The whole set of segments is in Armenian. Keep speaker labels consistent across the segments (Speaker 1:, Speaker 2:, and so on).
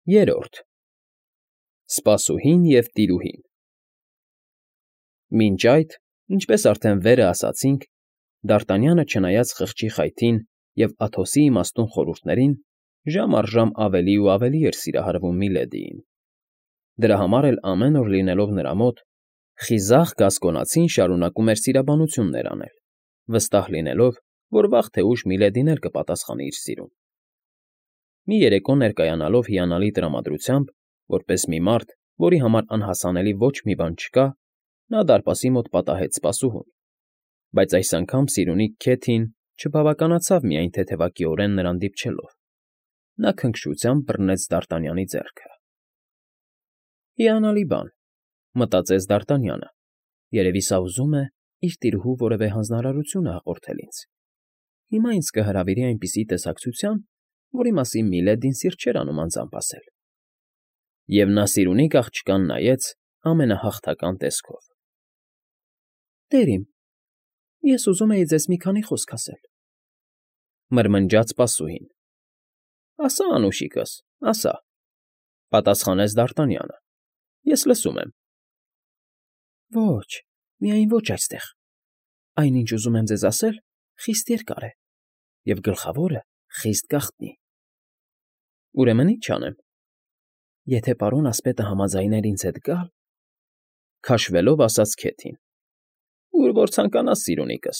Speaker 1: Երրորդ Սպասուհին և տիրուհին։ Մինչ այդ, ինչպես արդեն վերը ասացինք, Դարտանյանը, չնայած խղճի խայթին և Աթոսի իմաստուն խորհուրդներին, ժամ առ ժամ ավելի ու ավելի էր սիրահարվում Միլեդիին. դրա համար էլ ամեն օր լինելով նրա մոտ, խիզախ գասկոնացին շարունակում էր սիրաբանություններ անել, վստահ լինելով, որ վաղ թե ուշ Միլեդին էլ կպատասխանի իր սիրուն։ Մի երեկո ներկայանալով հիանալի տրամադրությամբ, որպես մի մարդ, որի համար անհասանելի ոչ մի բան չկա, նա դարպասի մոտ պատահեց սպասուհուն, բայց այս անգամ սիրունիկ Քեթին չբավականացավ միայն թեթևակիորեն նրան դիպչելով. նա քնքշությամբ բռնեց Դարտանյանի ձեռքը։ «Հիանալի բան,֊ մտածեց Դարտանյանը,֊ երևի սա ուզում է իր տիրուհու որևէ հանձնարարությունը հաղորդել ինձ։ Հիմա ինձ կհրավիրի այնպիսի տեսակցության, որի մասին Միլեդին սիրտ չէր անում անձամբ ասել»։ Եվ նա սիրունիկ աղջկան նայեց ամենահաղթական տեսքով։ «Տեր իմ, ես ուզում էի ձեզ մի քանի խոսք ասել,֊ մրմնջաց սպասուհին։ «Ասա, անուշիկս, ասա,֊ պատասխանեց Դարտանյանը,֊ ես լսում եմ»։ «Ոչ, միայն ոչ այստեղ. այն, ինչ ուզում եմ ձեզ ասել, խիստ երկար է, և գլխավորը խիստ գաղտնի»։ «Ուրեմն ի՞նչ անեմ»։ «Եթե պարոն ասպետը համաձայներ ինձ հետ գալ,֊ քաշվելով ասաց Քեթին,֊ ուր որ ցանկանաս, սիրունիկս»։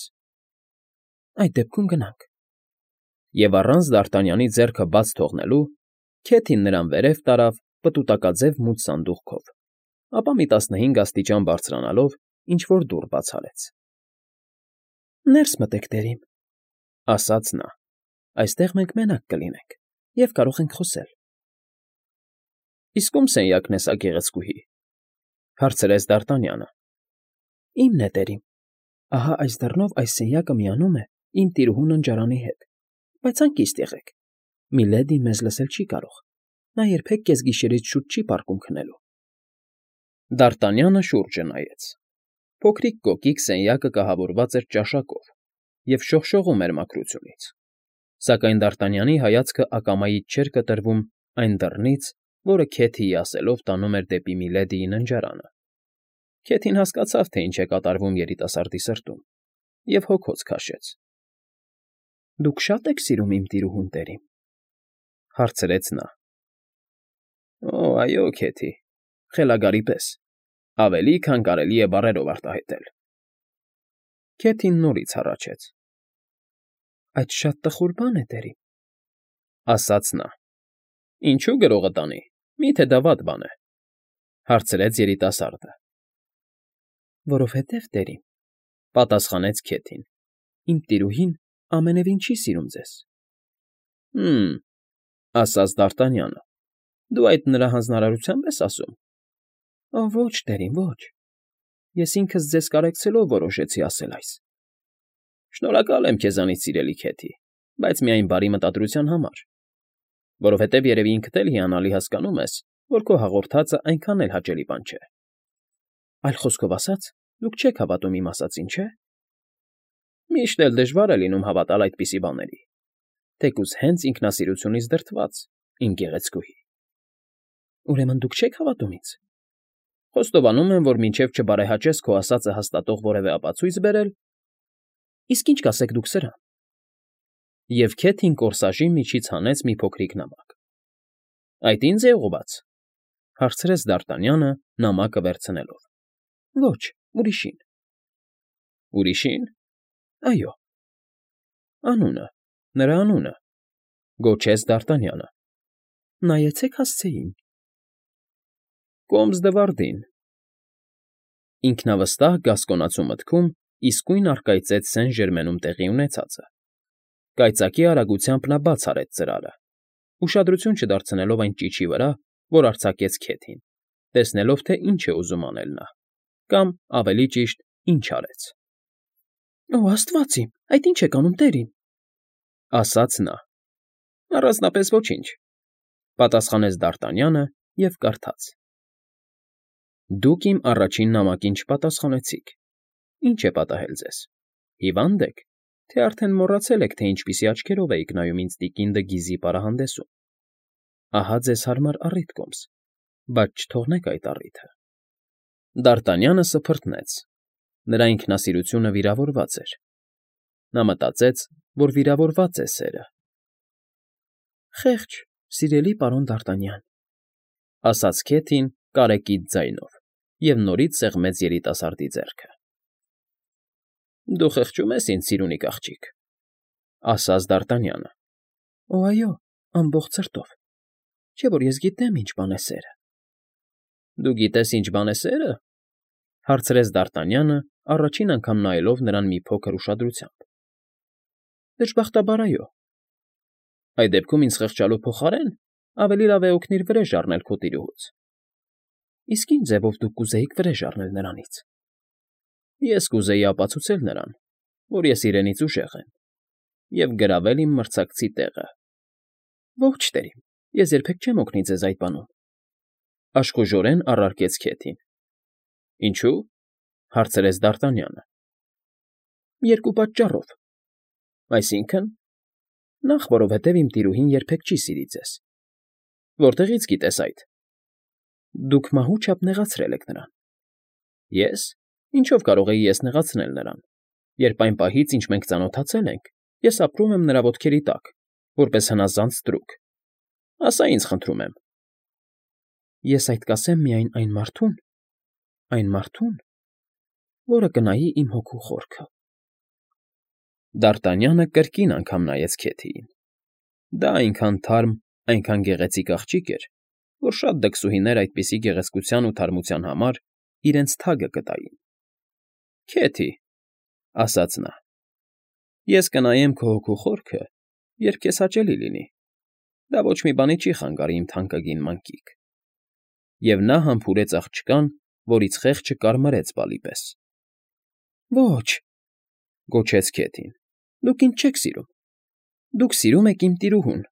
Speaker 1: «Այդ դեպքում գնանք»։ Եվ առանց Դարտանյանի ձեռքը բաց թողնելու, Քեթին նրան վերև տարավ պտուտակաձև մութ սանդուղքով, ապա մի 15 աստիճան բարձրանալով ինչ֊որ դուռ բաց արեց։ «Ներս մտեք, տերիմ,֊ ասաց նա,֊ այստեղ մենք մենակ կլինենք և կարող ենք խոսել»։ «Իսկ ո՞ւմ սենյակն է սա, գեղեցկուհի,֊ հարցրեց Դարտանյանը։ «Իմն է, տերիմ. ահա այս դռնով այս սենյակը միանում է իմ տիրուհու ննջարանի հետ, բայց հանգիստ եղեք, Միլեդին մեզ լսել չի կարող, նա երբեք կեսգիշերից շուտ չի պառկում քնելու»։ Դարտանյանը շուրջը նայեց։ Փոքրիկ կոկիկ սենյակը կահավորված էր ճաշակով և շողշողում էր մաքրությունից, սակայն Դարտանյանի հայացքը ակամայից չէր կտրվում այն դռնից, որը Քեթիի ասելով տանում էր դեպի Միլեդիի ննջարանը։ Քեթին հասկացավ, թե ինչ է կատարվում երիտասարդի սրտում, և հոգոց քաշեց։ «Դուք շա՞տ եք սիրում իմ տիրուհուն, տերիմ,֊ հարցրեց նա։ «Օ, այո, Քեթի, խելագարի պես, ավելի, քան կարելի է բառերով արտահայտել»։ Քեթին նորից հառաչեց։ «Այդ շատ տխուր բան է, տերիմ,֊ ասաց նա։ «Ինչու՞ գրողը տանի, մի՞թե դա վատ բան է,֊ հարցրեց երիտասարդը։ «Որովհետև, տերիմ,֊ պատասխանեց Քեթին,֊ իմ տիրուհին ամենևին չի սիրում ձեզ»։ «Հը՛մ,֊ ասաց Դարտանյանը,֊ դու այդ նրա հանձնարարությա՞նբ ես ասում»։ «Օ, ոչ, տերիմ, ոչ. ես ինքս ձեզ կարեկցելով որոշեցի ասել այս»։ «Շնորհակալ եմ քեզանից, սիրելի Քեթի, բայց միայն բարի մտադրության համար, որովհետև երևի ինքդ էլ հիանալի հասկանում ես, որ քո հաղորդածը այնքան էլ հաճելի բան չէ»։ «Այլ խոսքով ասած, դուք չեք հավատում իմ ասածին, չէ՞։ Միշտ էլ դժվար է լինում հավատալ այդպիսի բաների, թեկուզ հենց ինքնասիրությունից դրդված, իմ գեղեցկուհի»։ «Ուրեմն դուք չեք հավատում ինձ»։ «Խոստովանում եմ, որ մինչև չբարեհաճես քո ասածը հաստատող որևէ ապացույց բերել»։ «Իսկ ի՞նչ կասեք դուք սրան»։ Եվ Քեթին կորսաժի միջից հանեց մի փոքրիկ նամակ։ «Այդ ի՞նձ է ուղղված», հարցրեց Դարտանյանը նամակը վերցնելով։ «Ոչ, ուրիշին»։ «Ուրիշին»։ «Այո»։ «Անունը, նրա անունը», գոչեց Դարտանյանը։ «Նայեցեք հասցեին»։ «Կոմս Դվարդին»։ Ինքնավստահ գասկոնացու մտքում իսկույն առկայծեց Սեն֊Ժերմենում տեղի ունեցածը։ Կայծակի արագությամբ նա բաց արեց ծրարը, ուշադրություն չդարձնելով այն ճիչի վրա, որ արձակեց Քեթին, տեսնելով, թե ինչ է ուզում անել նա, կամ, ավելի ճիշտ, ինչ արեց։ «Օ, աստված իմ, այդ ի՞նչ եք անում, տերիմ», ասաց նա։ «Առանձնապես ոչինչ», պատասխանեց Դարտանյանը և կարդաց. «Դուք իմ առաջին նամակին չպատասխանեցիք. ի՞նչ է պատահել ձեզ. հիվա՞նդ եք, թե արդեն մոռացել եք, թե ինչպիսի աչքերով էիք նայում ինձ տիկին Դը Գիզի պարահանդեսում։ Ահա ձեզ հարմար առիթ, կոմս, բայց չթողնեք այդ առիթը։ Դ'Արտանյանը սփռտնեց. նրա ինքնասիրությունը վիրավորված էր։ Նա մտածեց, որ վիրավորված է սերը։ Խեղճ, սիրելի պարոն Դ'Արտանյան, ասաց Քեթին կարեկից ձայնով և նորից սեղմեց երիտասարդի ձեռքը։ Դու խղճում ես ինձ, սիրունիկ աղջիկ, ասաց Դ'Արտանյանը։ Օ, այո, ամբողջ սրտով, չէ՞ որ ես գիտեմ ինչ բան է սերը։ Դու գիտես ինչ բան է սերը, հարցրեց Դ'Արտանյանը, առաջին անգամ նայելով նրան մի փոքր ուշադրությամբ։ Դժբախտաբար, այո։ Այդ դեպքում ինձ խղճալու փոխարեն ավելի լավ է օգնիր վրեժ առնել քո տիրուհուց։ Իսկ ինչ ձևով դուք կուզեիք վրեժ առնել նրանից։ Ես կուզեի ապացուցել նրան, որ ես իրենից ուժեղ եմ, և գրավել իմ մրցակցի տեղը։ Ողջ տերիմ, ես երբեք չեմ օգնի ձեզ այդ բանում, աշխուժորեն առարկեց Քեթին։ Ինչու՞, հարցրեց Դ'Արտանյանը։ Երկու պատճառով։ Այսինքն, նախ, որովհետև իմ տիրուհին երբեք չի սիրի ձեզ։ Որտեղից գիտես այդ։ Դուք մահու չափ նեղացրել եք նրան։ Ես։ Ինչով կարող էի ես նեղացնել նրան, երբ այն պահից, ինչ մենք ծանոթացել ենք, ես ապրում եմ նրա ոտքերի տակ, որպես հնազանդ ստրուկ։ Ասա ինձ, խնդրում եմ։ Ես այդ կասեմ միայն այն մարդուն, որը կնայի իմ հոգու խորքը։ Դ'Արտանյանը կրկին անգամ նայեց Քեթիին։ Դա այնքան թարմ, այնքան գեղեցիկ աղջիկ էր, որ շատ դքսուհիներ այդպիսի գեղեցկության ու թարմության համար իրենց թագը կտային։ Քեթի, ասաց նա, ես կնայեմ քո հոգու խորքը, երբ քեզ հաճելի լինի։ Դա ոչ մի բանի չի խանգարի, իմ թանկագին մանկիկ։ Եվ նա համբուրեց աղջկան, որից խեղճը կարմրեց բալի պես։ Ոչ, գոչեց Քեթին, դուք ինձ չեք սիրում։ Դուք սիրում եք իմ տիրուհուն,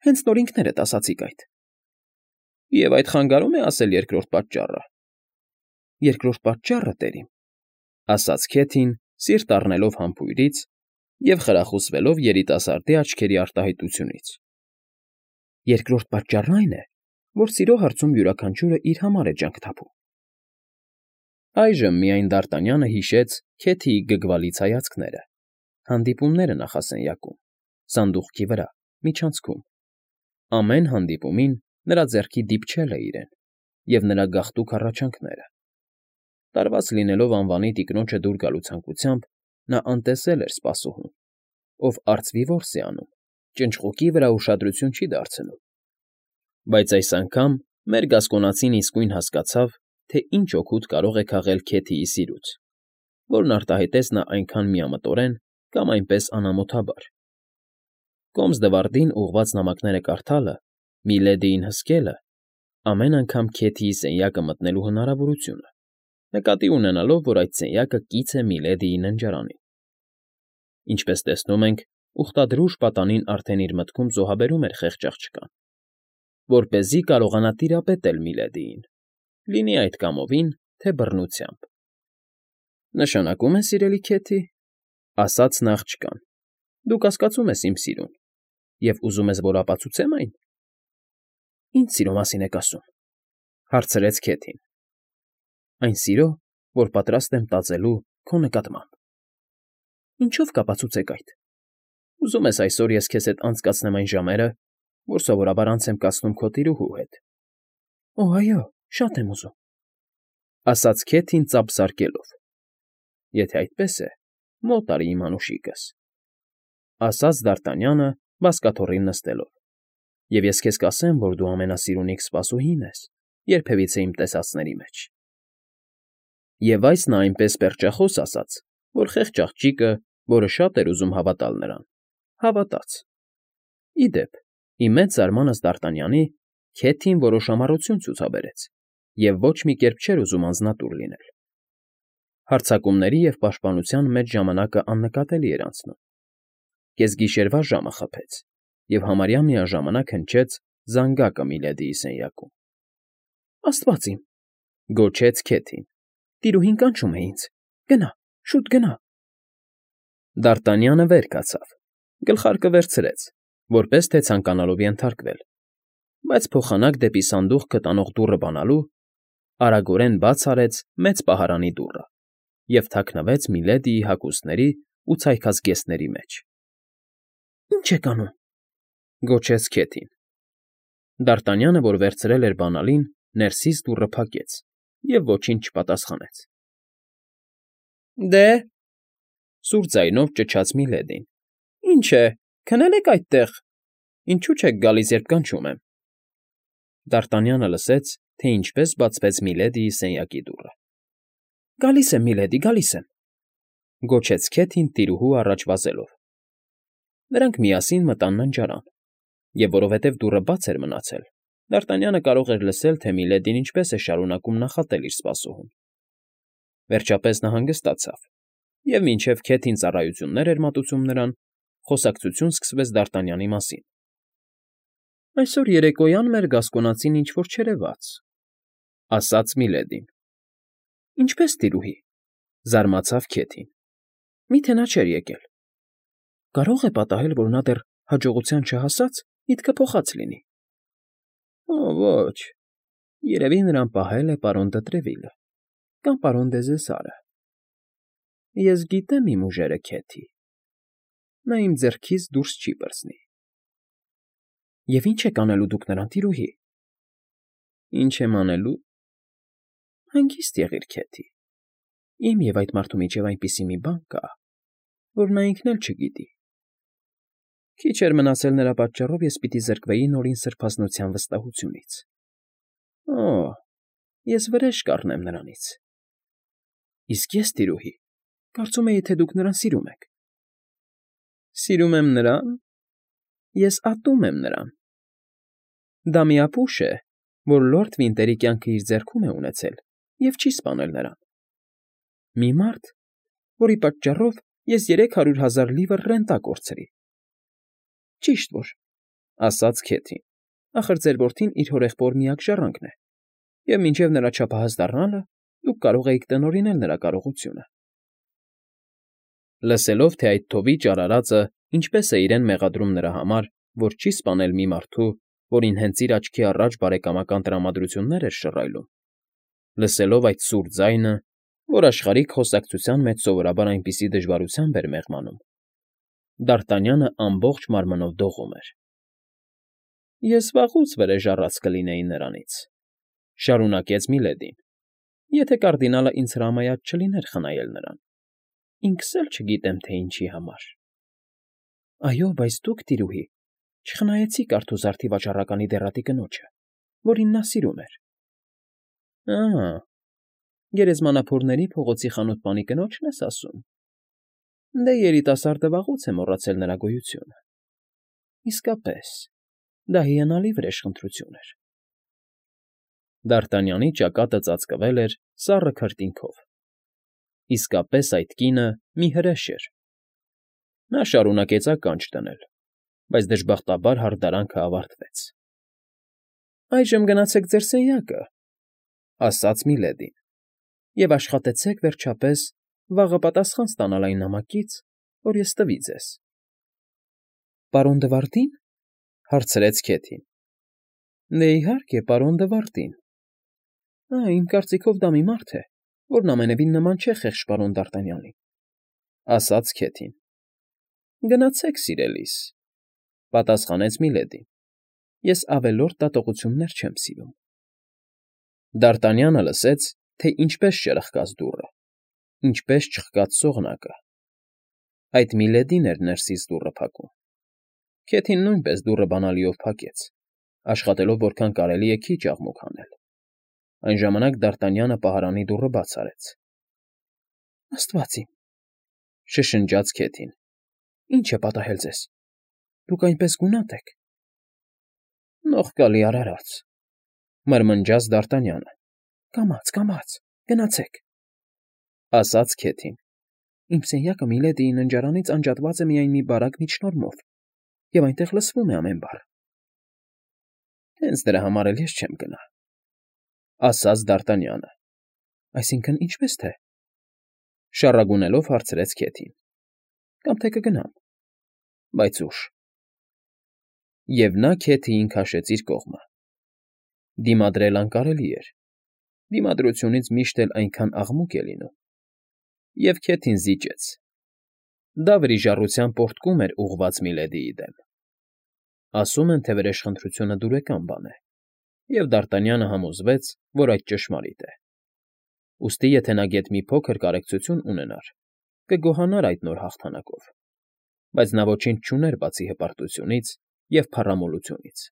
Speaker 1: հենց նոր ինքներդ ասացիք այդ։ Եվ այդ խանգարում է ասել երկրորդ պատճառը։ Երկրորդ պատճառը, տերիմ, ասաց Քեթին, սիրտ առնելով համբույրից և խրախուսվելով երիտասարդի աչքերի արտահայտությունից։ Երկրորդ պատճառն այն է, որ սիրո հարցում յուրաքանչյուրը իր համար է ջանք թափում։ Այժմ միայն Դ'Արտանյանը հիշեց Քեթիի գգվալից հայացքները, հանդիպումները նախասենյակում, սանդուղքի վրա, միջանցքում։ Ամեն հանդիպումին նրա ձեռքի դիպչել է իրեն, և նրա գաղտուկ հառաչանքները։ Տարված լինելով անվանի տիկնոջը դուր գալու ցանկությամբ, նա անտեսել էր սպասուհուն, ով արծվի որս է անում, ճնճղուկի վրա ուշադրություն չի դարձնում։ Բայց այս անգամ մեր գասկոնացին իսկույն հասկացավ, թե ինչ օգուտ կարող է քաղել Քեթիի սիրուց, որն արտահայտեց նա այնքան միամտորեն կամ այնպես անամոթաբար։ Կոմս Դվարդին ուղղված նամակները կարդալը, Միլեդիին հսկելը, ամեն անգամ Քեթիի սենյակը մտնելու հնարավորությունը, նկատի ունենալով, որ այդ սենյակը կից է Միլեդիի ննջարանին։ Ինչպես տեսնում ենք, ուխտադրուժ պատանին արդեն իր մտքում զոհաբերում էր խեղճ աղջկան, որպեսզի կարողանա տիրապետել Միլեդիին, լինի այդ կամովին, թե բռնությամբ։ Նշանակում է, սիրելի Քեթի, ասաց նա աղջկան, դու կասկածում ես իմ սիրուն և ուզում ես, որ ապացուցեմ այն։ Ինչ սիրո մասին եք ասում, հարցրեց Քեթին։ Այն սիրո, որ պատրաստ եմ տածելու քո նկատմամբ։ Ինչով կապացուցեք այդ։ Ուզում ես այսօր ես քեզ հետ անցկացնեմ այն ժամերը, որ սովորաբար անց եմ կացնում քո տիրուհու հետ։ Օ, այո, շատ եմ ուզում, ասաց Քեթին ծափ զարկելով։ Եթե այդպես է, մոտ արի իմ անուշիկս, ասաց Դ'Արտանյանը բազկաթոռին նստելով, և ես քեզ կասեմ, որ դու ամենասիրունիկ սպասուհին ես երբևիցե իմ տեսածների մեջ։ Եվ այս նա այնպես պերճախոս ասաց, որ խեղճ աղջիկը, որը շատ էր ուզում հավատալ նրան, հավատաց։ Ի դեպ, ի մեծ զարմանս Դ'Արտանյանի, Քեթին որոշ ամառություն ցուցաբերեց և ոչ մի կերպ չէր ուզում անձնատուր լինել։ Հարձակումների և պաշտպանության մեջ ժամանակը աննկատելի էր անցնում։ Կեսգիշերվա ժամը խփեց, և համարյա միաժամանակ հնչեց զանգակը Միլեդիի սենյակում։ Աստված իմ, գոչեց Քեթին, տիրուհին կանչում է ինձ, գնա, շուտ գնա։ Դ'Արտանյանը վեր կացավ, գլխարկը վերցրեց, որպես թե ցանկանալով ենթարկվել, բայց փոխանակ դեպի սանդուղքը տանող դուռը բանալու արագորեն բաց արեց մեծ պահարանի դուռը և թաքնվեց Միլեդիի հագուստների ու ցայքած գեստների մեջ։ ֊ Ի՞նչ եք անում,֊ գոչեց Քեթին։ Դարտանյանը, որ վերցրել էր բանալին, ներսից դուռը փակեց և ոչինչ չպատասխանեց։ ֊ Դե,֊ սուր ձայնով ճչաց Միլեդին,֊ ի՞նչ է, քնել եք այդտեղ, ինչո՞ւ չեք գալիս, երբ կանչում եմ։ Դարտանյանը լսեց, թե ինչպես բացվեց Միլեդիի սենյակի դուռը։ ֊ Գալիս եմ, միլեդի, գալիս եմ,֊ գոչեց Քեթին տիրուհու առաջ վազելով։ Նրանք միասին մտան ննջարան, և որովհետև դուռը բաց էր մնացել, Դարտանյանը կարող էր լսել, թե Միլեդին ինչպես է շարունակում նախատել իր սպասողուն։ Վերջապես նա հանգստացավ, և մինչև Քեթին ծառայություններ էր մատուցում նրան, խոսակցություն սկսվեց Դարտանյանի մասին։ ֊ Այսօր երեկոյան մեր գասկոնացին ինչ֊որ չերևաց,֊ ասաց Միլեդին։ ֊ Ինչպե՞ս, տիրուհի,֊ զարմացավ Քեթին։ ֊ Մի՞թե նա չէր եկել։ Կարո՞ղ է պատահել, որ նա դեռ հաջողության չհասած միտքը փոխած լինի։ ֊ Ոչ, երևի նրան պահել է պարոն Դտրևիլը կամ պարոն Դեզեսարը։ Ես գիտեմ իմ ուժերը, Քեթի, նա իմ ձեռքից դուրս չի պրծնի։ ֊ Եվ ի՞նչ եք անելու դուք նրան, տիրուհի։ ֊ Ինչ եմ անելու։ Հանգիստ եղիր, Քեթի, իմ և այդ մարդու միջև այնպիսի մի բան կա, որ նա ինքն էլ չգիտի։ Քիչ էր մնացել նրա պատճառով ես պիտի զրկվեի Նորին սրբազնության վստահությունից։ Օ՜, ես վրեժ կառնեմ նրանից։ Իսկ ես, տիրուհի, կարծում էի, թե դուք նրան սիրում եք։ Սիրում եմ նրան։ Ես ատում եմ նրան։ Դա մի ապուշ է, որ լորդ Վինտերի կյանքը իր ձեռքում է ունեցել և չի սպանել նրան։ Մի մարդ, որի պատճառով ես 300,000 լիվր ռենտա կորցրի։ ֊ Ճիշտ որ,֊ ասաց Քեթին,֊ ախր ձեր որդին իր հորեղբոր միակ ժառանգն է, և մինչև նրա չափահաս դառնալը դուք կարող էիք տնօրինել նրա կարողությունը։ Լսելով, թե այդ թովիչ արարածը ինչպես է իրեն մեղադրում նրա համար, որ չի սպանել մի մարդու, որին հենց իր աչքի առաջ բարեկամական տրամադրություններ էր շռայլում, լսելով այդ սուր ձայնը, որ աշխարհիկ խոսակցության մեջ սովորաբար այնպիսի դժվարությամբ էր մեղմանում, Դարտանյանը ամբողջ մարմնով դողում էր։ ֊ Ես վաղուց վրեժ առած կլինեի նրանից,֊ շարունակեց Միլեդին,֊ եթե կարդինալը ինձ հրամայած չլիներ խնայել նրան, ինքս էլ չգիտեմ, թե ինչի համար։ ֊ Այո, բայց դուք, տիրուհի, չխնայեցիք արթուզարդի վաճառականի դեռատի կնոջը, որին նա սիրում էր։ ֊ Ա՜, գերեզմանափորների փողոցի խանութպանի կնոջն ես ասում։ Դե երիտասարդը վաղուց է մոռացել նրա գոյությունը։ Իսկապես, դա հիանալի վրեժխնդրություն էր։ Դարտանյանի ճակատը ծածկվել էր սառը քրտինքով։ Իսկապես այդ կինը մի հրեշ էր։ Նա շարունակեց ականջ դնել, բայց դժբախտաբար հարդարանքը ավարտվեց։ ֊ Այժմ գնացեք ձեր սենյակը,֊ ասաց Միլեդին,֊ և աշխատեցեք, վերջապես, վաղը պատասխան ստանալ այն նամակից, որ ես տվի ձեզ։ ֊ Պարոն Դվարդի՞ն,֊ հարցրեց Քեթին։ ֊ Դե, իհարկե, պարոն Դվարդին։ Իմ կարծիքով դա մի մարդ է, որն ամենևին նման չէ խեղճ պարոն Դարտանյանին,֊ ասաց Քեթին։ ֊ Գնացեք, սիրելիս,֊ պատասխանեց Միլեդին,֊ ես ավելորդ դատողություններ չեմ սիրում։ Դարտանյանը լսեց, թե ինչպես ճրխկաց դուռը, ինչպես չխկաց սողնակը։ Այդ Միլեդին էր ներսից դուռը փակում։ Քեթին նույնպես դուռը բանալիով փակեց, աշխատելով որքան կարելի է քիչ աղմուկ հանել։ Այն ժամանակ Դարտանյանը պահարանի դուռը բաց արեց։ ֊ Աստված իմ,֊ շշնջաց Քեթին,֊ ի՞նչ է պատահել ձեզ։ Դուք այնպես գունատ եք։ ֊ Նողկալի արարած,֊ մրմնջաց Դարտանյանը։ ֊ Կամաց, կամաց, գնացեք,֊ ասաց Քեթին։ Իմ սենյակը Միլեդիի ննջարանից անջատված է միայն մի բարակ միջնորմով, և այնտեղ լսվում է ամեն բառ։ ֊ Հենց դրա համար էլ ես չեմ գնա,֊ ասաց Դարտանյանը։ ֊ Այսինքն՝ ինչպե՞ս թե,֊ շառագունելով հարցրեց Քեթին։ ֊ Կամ թե կգնամ, բայց ուշ։ Եվ նա Քեթիին քաշեց իր կողմը։ Դիմադրել անկարելի էր, դիմադրությունից միշտ էլ այնքան աղմուկ է լինում, և քեթին զիջեց. դա վրիժառության պոռթկում էր ուղղված Միլեդիի դեմ։ Ասում են, թե վրեժխնդրությունը դուրեկան բան է, և Դարտանյանը համոզվեց, որ այդ ճշմարիտ է։ Ուստի եթե նա գեթ մի փոքր կարեկցություն ունենար, կգոհանար այդ նոր հաղթանակով, բայց նա ոչինչ չուներ բացի հպարտությունից և փառամոլությունից։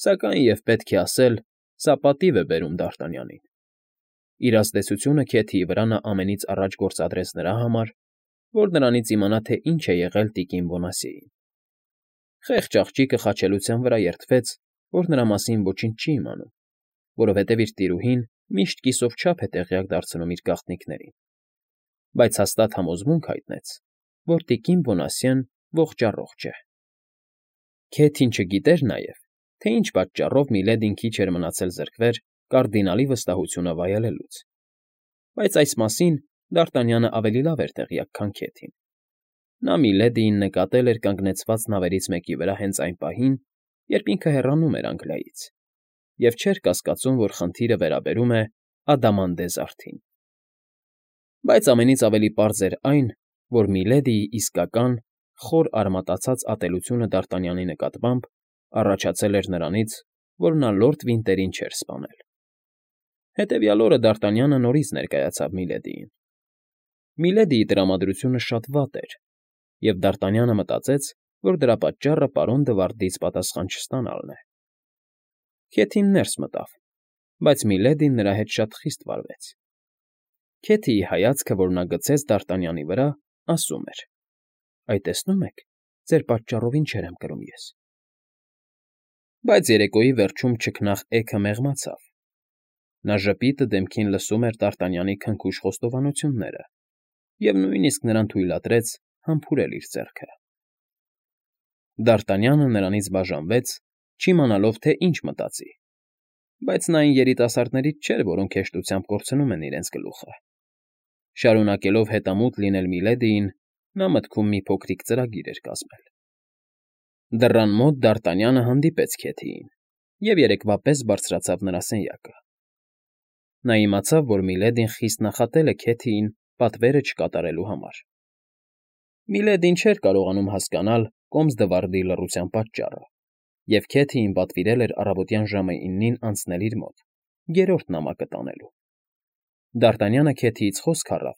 Speaker 1: Սակայն, և պետք է ասել, սա պատիվ է բերում Դարտանյանին։ Իր ազդեցությունը Քեթիի վրա նա ամենից առաջ գործադրեց նրա համար, որ նրանից իմանա, թե ինչ է եղել տիկին Բոնասիեին։ Խեղճ աղջիկը խաչելության վրա երդվեց, որ նրա մասին ոչինչ չի իմանում, որովհետև իր տիրուհին միշտ կիսով չափ է տեղյակ դարձնում իր գաղտնիքներին, բայց հաստատ համոզմունք հայտնեց, որ տիկին Բոնասիեն ողջ֊առողջ է։ Քեթին չգիտեր նաև, թե ինչ պատճառով Միլեդին քիչ էր մնացել զրկվեր կարդինալի վստահությունը վայելելուց, բայց այս մասին Դարտանյանը ավելի լավ էր տեղյակ, քան Քեթին։ Նա Միլեդիին նկատել էր կանգնեցված նավերից մեկի վրա հենց այն պահին, երբ ինքը հեռանում էր Անգլիայից, և չէր կասկածում, որ խնդիրը վերաբերում է Ադամանդե զարդին։ Բայց ամենից ավելի պարզ էր այն, որ Միլեդիի իսկական, խոր արմատացած ատելությունը Դարտանյանի նկատմամբ առաջացել էր նրանից, որ նա լորդ Վինտերին չէր սպանել։ Հետևյալ օրը Դարտանյանը նորից ներկայացավ Միլեդիին։ Միլեդիի տրամադրությունը շատ վատ էր, և Դարտանյանը մտածեց, որ դրա պատճառը պարոն Դվարդից պատասխան չստանալն է։ Քեթին ներս մտավ, բայց Միլեդին նրա հետ շատ խիստ վարվեց։ Քեթիի հայացքը, որ նա գցեց Դարտանյանի վրա, ասում էր. «Այ տեսնում եք, ձեր պատճառով ինչեր եմ կրում ես»։ Բայց երեկոյի վերջում չքնաղ էգը մեղմացավ։ Նա ժպիտը դեմքին լսում էր Դարտանյանի քնքուշ խոստովանությունները և նույնիսկ նրան թույլատրեց համբուրել իր ձեռքը։ Դարտանյանը նրանից բաժանվեց, չիմանալով, թե ինչ մտածի, բայց նա այն երիտասարդներից չէր, որոնք հեշտությամբ կորցնում են իրենց գլուխը։ Շարունակելով հետամուտ լինել Միլեդիին, նա մտքում մի փոքրիկ ծրագիր էր կազմել։ Դռան մոտ Դարտանյանը հանդիպեց Քեթիին և երեկվա պես բարձրացավ նրա սենյակը։ Նա իմացավ, որ Միլեդին խիստ նախատել է Քեթիին պատվերը չկատարելու համար։ Միլեդին չէր կարողանում հասկանալ կոմս Դվարդի լռության պատճառը, և Քեթիին պատվիրել էր առավոտյան ժամը 9-ին անցնել իր մոտ, երրորդ նամակը տանելու։ Դարտանյանը Քեթիից խոսք առավ,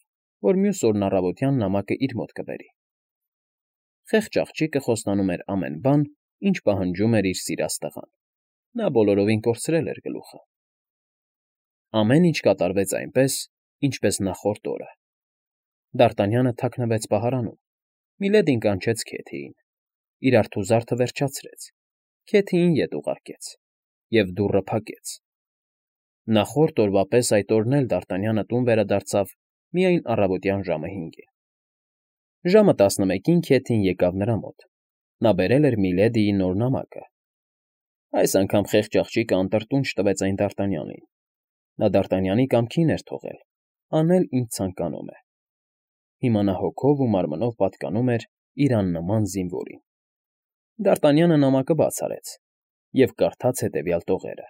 Speaker 1: որ մյուս օրն առավոտյան նամակը իր մոտ կբերի։ Խեղճ աղջիկը խոստանում էր ամեն բան, ինչ պահանջում էր իր սիրած տղան։ Նա բոլորովին կորցրել էր գլուխը։ Ամեն ինչ կատարվեց այնպես, ինչպես նախորդ օրը։ Դարտանյանը թաքնվեց պահարանում։ Միլեդին կանչեց Քեթիին։ Իր արթուզարդը վերջացրեց։ Քեթիին ետ ուղարկեց և դուռը փակեց։ Նախորդ օրվա պես այդ օրն էլ Դարտանյանը տուն վերադարձավ միայն առավոտյան ժամը 5-ին։ Ժամը 11-ին Քեթին եկավ նրա մոտ։ Նա բերել էր Միլեդիի նոր նամակը։ Այս անգամ խեղճ աղջիկը անտրտունջ տվեց այն Դարտանյանին։ Նա Դարտանյանի կամքին էր թողել, անել, ինչ ցանկանում է։ Հիմա նա հոգով ու մարմնով պատկանում էր իր աննման զինվորին։ Դարտանյանը նամակը բաց արեց և կարդաց հետևյալ տողերը.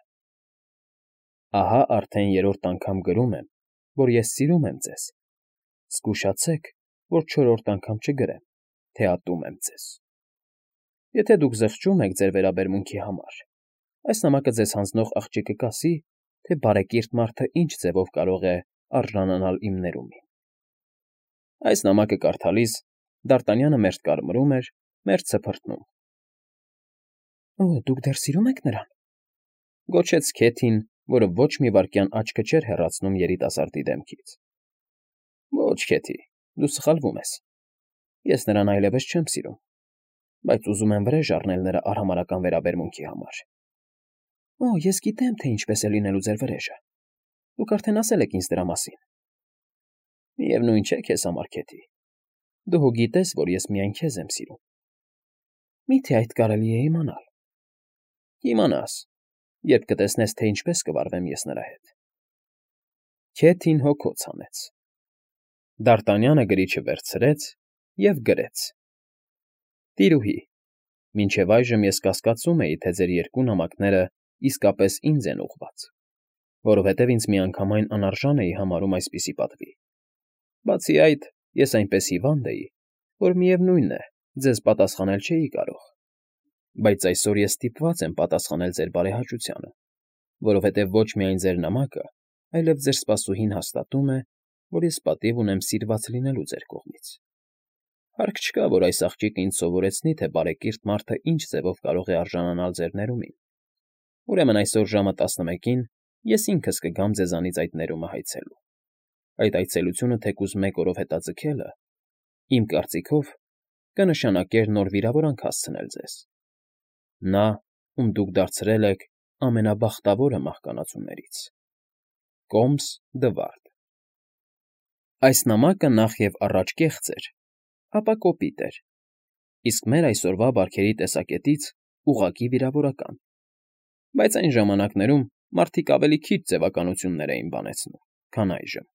Speaker 1: «Ահա արդեն երրորդ անգամ գրում եմ, որ ես սիրում եմ ձեզ։ Զգուշացեք, որ չորրորդ անգամ չգրեմ, թե ատում եմ ձեզ։ Եթե դուք զղջում եք ձեր վերաբերմունքի համար, այս նամակը ձեզ հանձնող աղջիկը կասի, թե բարեկիրթ մարդը ինչ ձևով կարող է արժանանալ իմ ներումին»։ Այս նամակը կարդալիս Դարտանյանը մերթ կարմրում էր, մերթ սփռտնում։ «Օ, դուք դեռ սիրում եք նրան», գոչեց Քեթին, որը ոչ մի վայրկյան աչքը չէր հեռացնում երիտասարդի դեմքից։ «Ոչ, Քեթի, դու սխալվում ես։ Ես նրան այլևս չեմ սիրում, բայց ուզում եմ վրեժ առնել նրա արհամարհական վերաբերմունքի համար»։ «Օ, ես գիտեմ, թե ինչպես է լինելու ձեր վրեժը։ Դուք արդեն ասել եք ինձ դրա մասին»։ «Միևնույն չէ քեզ համար, Քեթի։ Դու հո գիտես, որ ես միայն քեզ եմ սիրում»։ «Մի՞թե այդ կարելի է իմանալ»։ «Կիմանաս, երբ կտեսնես, թե ինչպես կվարվեմ ես նրա հետ»։ Քեթին հոգոց հանեց։ Դարտանյանը գրիչը վերցրեց և գրեց. «Տիրուհի, մինչև այժմ ես կասկածում էի, թե ձեր երկու նամակները իսկապես ինձ են ուղղված, որովհետև ինձ միանգամայն անարժան էի համարում այսպիսի պատվի։ Բացի այդ, ես այնպես հիվանդ էի, որ միևնույն է, ձեզ պատասխանել չէի կարող, բայց այսօր ես ստիպված եմ պատասխանել ձեր բարեհաճությանը, որովհետև ոչ միայն ձեր նամակը, այլև ձեր սպասուհին հաստատում է, որ ես պատիվ ունեմ սիրված լինելու ձեր կողմից։ Հարկ չկա, որ այս աղջիկը ինձ սովորեցնի, թե բարեկիրթ մարդը ինչ ձևով կարող է արժանանալ ձեր ներումին։ Ուրեմն այսօր ժամը 11-ին ես ինքս կգամ ձեզանից այդ ներումը հայցելու։ Այդ այցելությունը թեկուզ 1 օրով հետաձգելը, իմ կարծիքով, կնշանակեր նոր վիրավորանք հասցնել ձեզ։ Նա, ում դուք դարձրել եք ամենաբախտավորը մահկանացուներից։ Կոմս Դվարդ։ Այս նամակը նախ և առաջ կեղծ էր, ապա կոպիտ էր, իսկ մեր այսօրվա բարքերի տեսակետից ուղղակի վիրավորական, բայց այն ժամանակներում մարդիկ ավելի քիչ ձևականություններ էին բանեցնում, քան այժմ։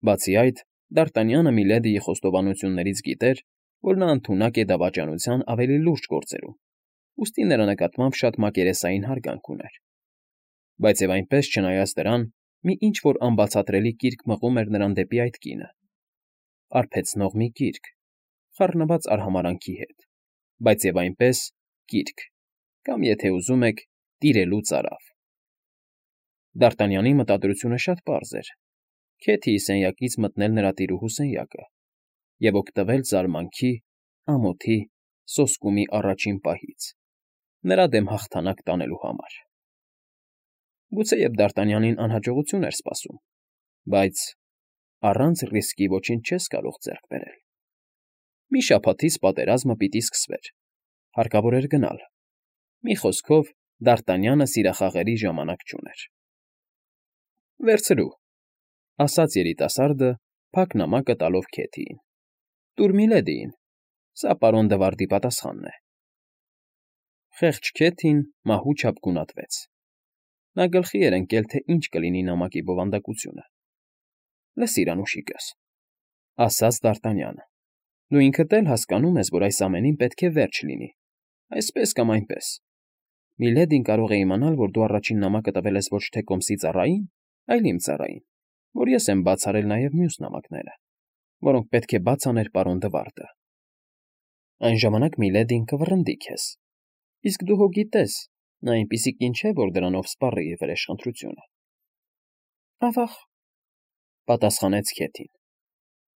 Speaker 1: Բացի այդ, Դարտանյանը Միլեդիի խոստովանություններից գիտեր, որ նա ընդունակ է դավաճանության ավելի լուրջ գործերում, ուստի նրա նկատմամբ շատ մակերեսային հարգանք ուներ։ Բայց և այնպես, չնայած դրան, մի ինչ-որ անբացատրելի կիրք մղում էր նրան դեպի այդ կինը։ Արբեցնող մի կիրք, խառնված արհամարանքի հետ, բայց և այնպես կիրք, կամ, եթե ուզում եք, տիրելու ծարավ։ Դարտանյանի մտադրությունը շատ պարզ էր. Քեթիի սենյակից մտնել նրա տիրուհու սենյակը և օգտվել զարմանքի, ամոթի, սոսկումի առաջին պահից, նրա դեմ հաղթանակ տանելու համար։ Գուցեև Դարտանյանին անհաջողություն էր սպասում, բայց առանց ռիսկի ոչինչ չես կարող ձեռք բերել։ Մի շաբաթից պատերազմը պիտի սկսվեր, հարկավոր էր գնալ։ Մի խոսքով, Դարտանյանը սիրախաղերի ժամանակ չուներ։ Վերցրու, ասաց երիտասարդը, փակ նամակը տալով Քեթիին։ Տուր Միլեդիին, սա պարոն Դվարդի պատասխանն է։ Խեղճ Քեթին մահուչափ գունատվեց։ Նա գլխի էր ընկել, թե ինչ կլինի նամակի բովանդակությունը։ Լսիր, անուշիկս, ասաց Դարտանյանը, դու ինքդ էլ հասկանում ես, որ այս ամենին պետք է վերջ լինի, այսպես կամ այնպես։ Միլեդին կարող է իմանալ, որ դու առաջին նամակը տվել ես ոչ թե Կոմսի ծառային, այլ իմ ծառային, որ ես եմ բաց արել նաև մյուս նամակները, որոնք պետք է բաց աներ պարոն Դվարդը։ Այն ժամանակ Միլեդին կվռնդի քեզ, իսկ դու հո գիտես, նա այնպիսի կին չէ, որ դրանով սպառի իր վրեժխնդրությունը։ Ավաղ, պատասխանեց Քեթին,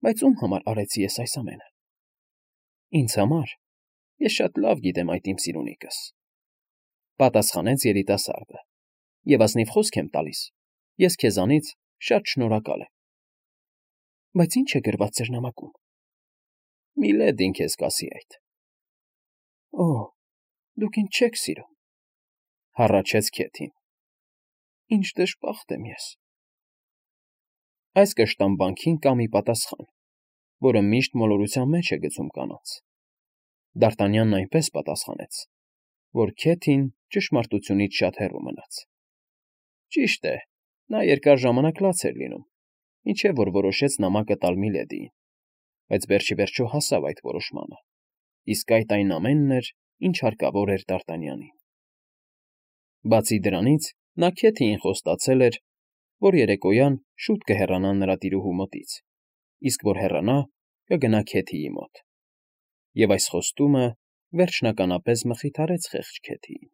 Speaker 1: բայց ում համար արեցի ես այս ամենը։ Ինձ համար, ես շատ լավ գիտեմ այդ իմ սիրունիկս, պատասխանեց երիտասարդը, և ազնիվ խոսք եմ տալիս, ես քեզանից շատ շնորհակալ եմ։ Բայց ի՞նչ է գրված ձեր նամակում։ Միլեդին քեզ կասի այդ։ Օ, դուք ինձ չեք սիրում, հառաչեց Քեթին։ Ինչ դժբախտ եմ ես։ Այս կշտամբանքին կա մի պատասխան, որը միշտ մոլորության մեջ է գցում կանանց։ Դարտանյանն այնպես պատասխանեց, որ Քեթին ճշմարտությունից շատ հեռու մնաց։ Ճիշտ է, նա երկար ժամանակ լաց էր լինում, մինչև որ որոշեց նամակը տալ Միլեդիին, բայց վերջիվերջո հասավ այդ որոշմանը, իսկ այդ այն ամենն էր, ինչ հարկավոր էր Դարտանյանին։ Բացի դրանից, նա Քեթիին խոստացել էր, որ երեկոյան շուտ կհեռանա նրա տիրուհու մոտից, իսկ որ հեռանա, կգնա Քեթիի մոտ։ Եվ այս խոստումը վերջնականապես մխիթարեց խեղճ Քեթիին։